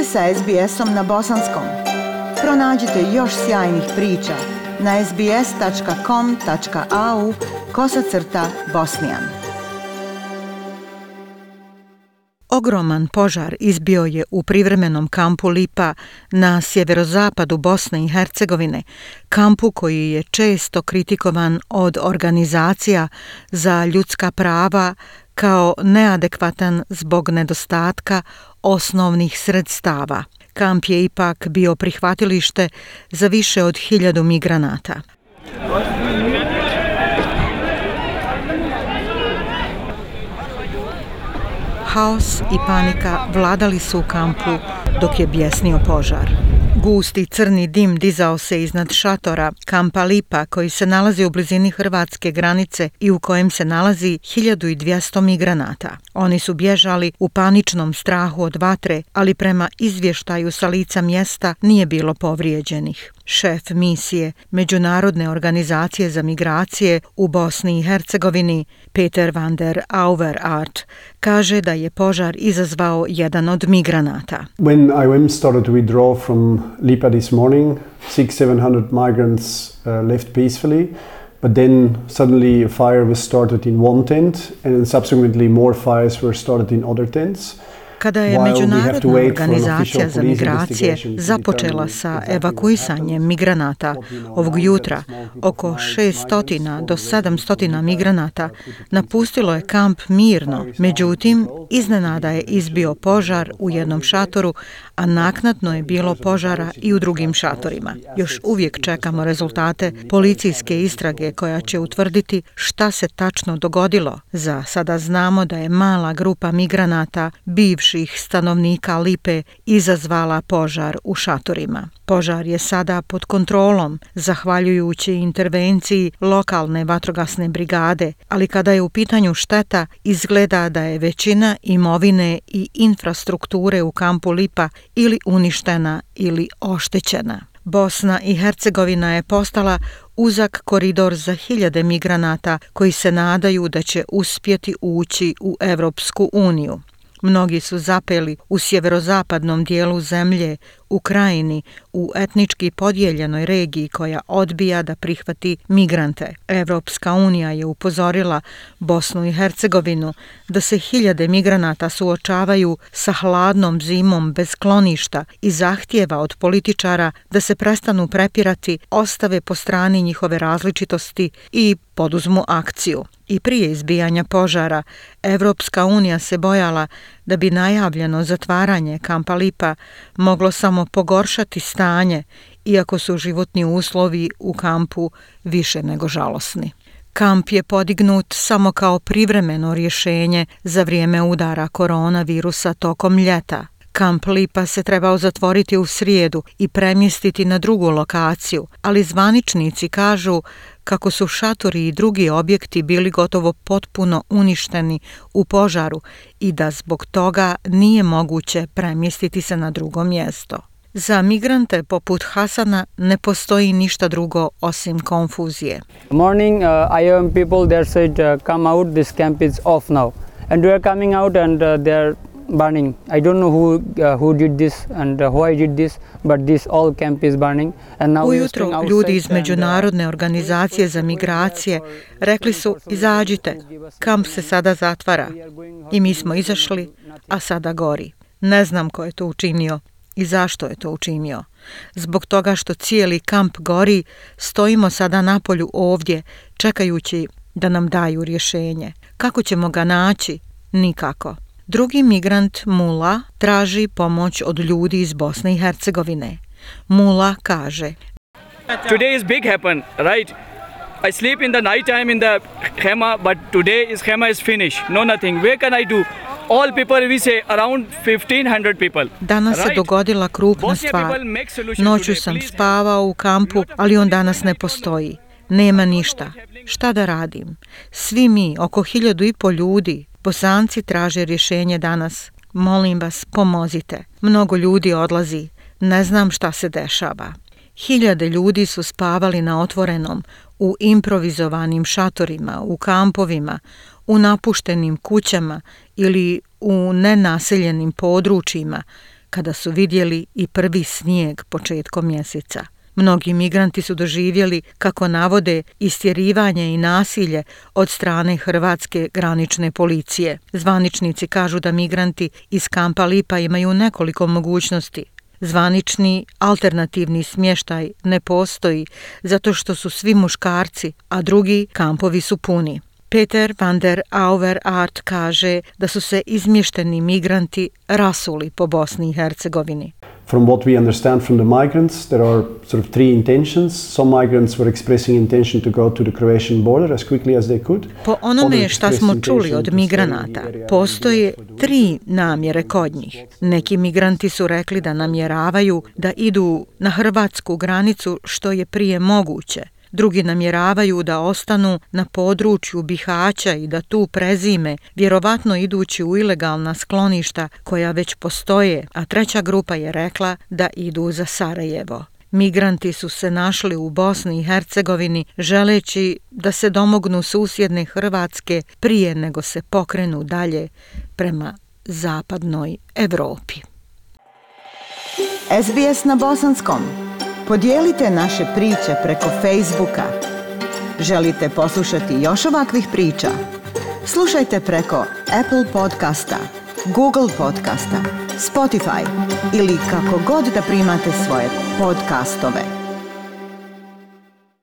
ste sa SBS-om na bosanskom. Pronađite još sjajnih priča na sbs.com.au/bosnijan. Ogroman požar izbio je u privremenom kampu Lipa na sjeverozapadu Bosne i Hercegovine, kampu koji je često kritikovan od organizacija za ljudska prava kao neadekvatan zbog nedostatka osnovnih sredstava. Kamp je ipak bio prihvatilište za više od 1000 migranata. Haos i panika vladali su u kampu dok je bjesnio požar. Gusti crni dim dizao se iznad šatora kampa Lipa koji se nalazi u blizini hrvatske granice i u kojem se nalazi 1200 migranata. Oni su bježali u paničnom strahu od vatre, ali prema izvještaju sa lica mjesta nije bilo povrijeđenih. Šef misije Međunarodne organizacije za migracije u Bosni i Hercegovini, Peter van der Auweraert, kaže da je požar izazvao jedan od migranata. When IOM started to withdraw from Lipa this morning, 600-700 migrants left peacefully, but then suddenly a fire was started in one tent and then subsequently more fires were started in other tents. Kada je Međunarodna organizacija za migracije započela sa evakuisanjem migranata ovog jutra, oko 600 do 700 migranata napustilo je kamp mirno. Međutim, iznenada je izbio požar u jednom šatoru, a naknadno je bilo požara i u drugim šatorima. Još uvijek čekamo rezultate policijske istrage koja će utvrditi šta se tačno dogodilo. Za sada znamo da je mala grupa migranata, bivših stanovnika Lipe, izazvala požar u šatorima. Požar je sada pod kontrolom, zahvaljujući intervenciji lokalne vatrogasne brigade, ali kada je u pitanju šteta, izgleda da je većina imovine i infrastrukture u kampu Lipa ili uništena ili oštećena. Bosna i Hercegovina je postala uzak koridor za 1000 migranata koji se nadaju da će uspjeti ući u Europsku uniju. Mnogi su zapeli u sjeverozapadnom dijelu zemlje, u Krajini, u etnički podijeljenoj regiji koja odbija da prihvati migrante. Europska unija je upozorila Bosnu i Hercegovinu da se 1000 migranata suočavaju sa hladnom zimom bez skloništa i zahtijeva od političara da se prestanu prepirati, ostave po strani njihove različitosti i poduzmu akciju. I prije izbijanja požara, Europska unija se bojala da bi najavljeno zatvaranje kampa Lipa moglo samo pogoršati stanje, iako su životni uslovi u kampu više nego žalosni. Kamp je podignut samo kao privremeno rješenje za vrijeme udara koronavirusa tokom ljeta. Kamp Lipa se trebao zatvoriti u srijedu i premjestiti na drugu lokaciju, ali zvaničnici kažu kako su šatori i drugi objekti bili gotovo potpuno uništeni u požaru i da zbog toga nije moguće premjestiti se na drugo mjesto. Za migrante poput Hasana ne postoji ništa drugo osim konfuzije. Morning, IOM people there said come out, this camp is off now. And we are coming out and they are burning. I don't know who did this and why did this, but this all camp is burning. And now ujutro ljudi iz Međunarodne organizacije za migracije rekli su izađite, kamp se sada zatvara. I mi smo izašli, a sada gori. Ne znam ko je to učinio i zašto je to učinio. Zbog toga što cijeli kamp gori, stojimo sada napolju ovdje, čekajući da nam daju rješenje. Kako ćemo ga naći? Nikako. Drugi migrant Mula traži pomoć od ljudi iz Bosne i Hercegovine. Mula kaže: Today is big happen, right? I sleep in the night time in the Hema, but today is Hema is finished. No nothing. Where can I do? All people, we say around 1500 people. Danas se dogodila krupna stvar. Noću sam spavao u kampu, ali on danas ne postoji. Nema ništa. Šta da radim? Svi mi, oko 1500 ljudi, Bosanci traže rješenje danas. Molim vas, pomozite. Mnogo ljudi odlazi. Ne znam šta se dešava. 1000 ljudi su spavali na otvorenom, u improvizovanim šatorima, u kampovima, u napuštenim kućama ili u nenaseljenim područjima, kada su vidjeli i prvi snijeg početkom mjeseca. Mnogi migranti su doživjeli, kako navode, istjerivanje i nasilje od strane hrvatske granične policije. Zvaničnici kažu da migranti iz kampa Lipa imaju nekoliko mogućnosti. Zvanični alternativni smještaj ne postoji zato što su svi muškarci, a drugi kampovi su puni. Peter van der Auweraert kaže da su se izmješteni migranti rasuli po Bosni i Hercegovini. From what we understand from the migrants, there are sort of three intentions. Some migrants were expressing intention to go to the Croatian border as quickly as they could. Po onome šta smo čuli od migranata, postoje 3 namjere kod njih. Neki migranti su rekli da namjeravaju da idu na hrvatsku granicu što je prije moguće. Drugi namjeravaju da ostanu na području Bihaća i da tu prezime, vjerovatno idući u ilegalna skloništa koja već postoje, a treća grupa je rekla da idu za Sarajevo. Migranti su se našli u Bosni i Hercegovini želeći da se domognu susjedne Hrvatske prije nego se pokrenu dalje prema zapadnoj Europi. SBS na bosanskom. Podijelite naše priče preko Facebooka. Želite poslušati još ovakvih priča? Slušajte preko Apple podcasta, Google podcasta, Spotify ili kako god da primate svoje podcastove.